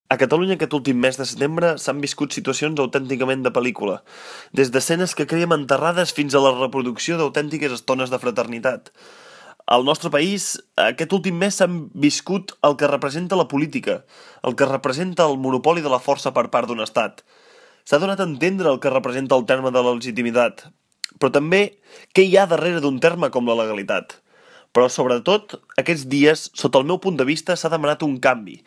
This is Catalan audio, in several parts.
A Catalunya aquest últim mes de setembre s'han viscut situacions autènticament de pel·lícula, des d'escenes que creiem enterrades fins a la reproducció d'autèntiques estones de fraternitat. Al nostre país, aquest últim mes s'han viscut el que representa la política, el que representa el monopoli de la força per part d'un estat. S'ha donat a entendre el que representa el terme de la legitimitat, però també què hi ha darrere d'un terme com la legalitat. Però, sobretot, aquests dies, sota el meu punt de vista, s'ha demanat un canvi.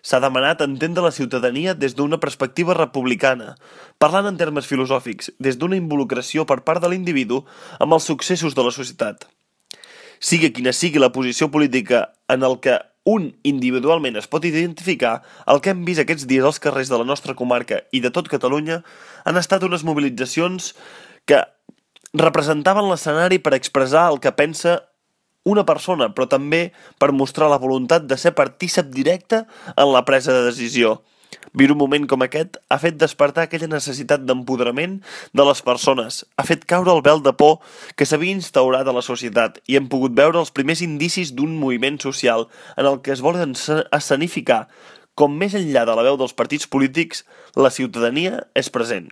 S'ha demanat entendre la ciutadania des d'una perspectiva republicana, parlant en termes filosòfics, des d'una involucració per part de l'individu amb els successos de la societat. Sigui quina sigui la posició política en el que un individualment es pot identificar, el que hem vist aquests dies als carrers de la nostra comarca i de tot Catalunya han estat unes mobilitzacions que representaven l'escenari per expressar el que pensa una persona, però també per mostrar la voluntat de ser partícip directe en la presa de decisió. Viure un moment com aquest ha fet despertar aquella necessitat d'empoderament de les persones, ha fet caure el vel de por que s'havia instaurat a la societat i hem pogut veure els primers indicis d'un moviment social en el que es vol escenificar com més enllà de la veu dels partits polítics, la ciutadania és present.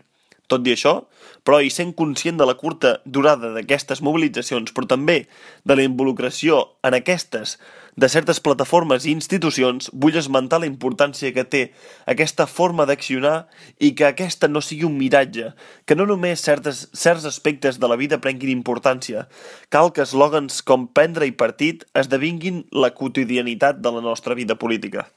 Tot i això, però, i sent conscient de la curta durada d'aquestes mobilitzacions, però també de la involucració en aquestes de certes plataformes i institucions, vull esmentar la importància que té aquesta forma d'accionar i que aquesta no sigui un miratge, que no només certs aspectes de la vida prenguin importància, cal que eslògans com prendre-hi partit esdevinguin la quotidianitat de la nostra vida política.